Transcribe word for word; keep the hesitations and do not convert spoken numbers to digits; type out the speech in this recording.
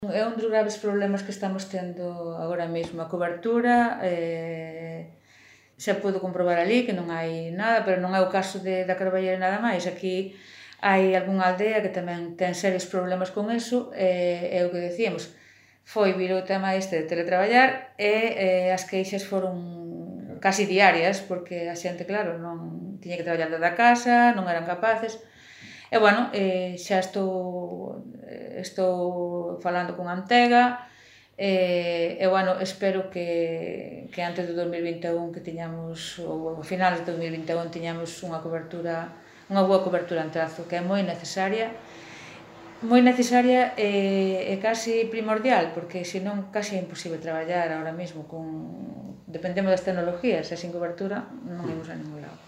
É un dos graves problemas que estamos tendo agora mesmo, a cobertura, eh, xa podo comprobar ali que non hai nada, pero non é o caso de, da Carballera nada máis. Aquí hai algunha aldea que tamén ten serios problemas con eso, e é o que decíamos, foi vir o tema este de teletraballar e eh, as queixas foron casi diarias, porque a xente, claro, non tiña que traballar desde a casa, non eran capaces. E, bueno, eh, xa estou, estou falando con Antega, e, e bueno, espero que, que antes do dos mil vinte e un que tiñamos, ou a finales do dos mil vinte e un, tiñamos unha cobertura, unha boa cobertura en trazo, que é moi necesaria, moi necesaria e, e casi primordial, porque senón casi é imposible traballar ahora mesmo con, dependemos das tecnologías, e sin cobertura non imos a ningún lado.